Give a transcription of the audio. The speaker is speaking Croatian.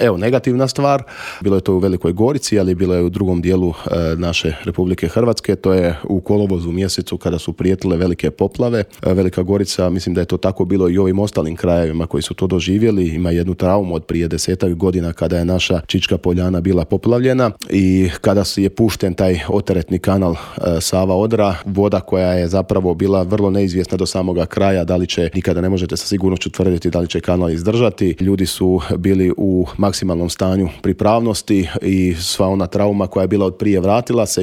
Evo, negativna stvar, bilo je to u Velikoj Gorici, ali bilo je u drugom dijelu naše Republike Hrvatske, to je u kolovozu mjesecu kada su prijetile velike poplave. Velika Gorica, mislim da je to tako bilo i u ovim ostalim krajevima koji su to doživjeli, ima jednu traumu od prije 10 godina kada je naša Čička Poljana bila poplavljena i kada je pušten taj oteretni kanal Sava-Odra, voda koja je zapravo bila vrlo neizvjesna do samoga kraja, da li će, nikada ne možete sa sigurnošću tvrditi da li će kanal izdržati. Ljudi su bili u maksimalnom stanju pripravnosti i sva ona trauma koja je bila od prije vratila se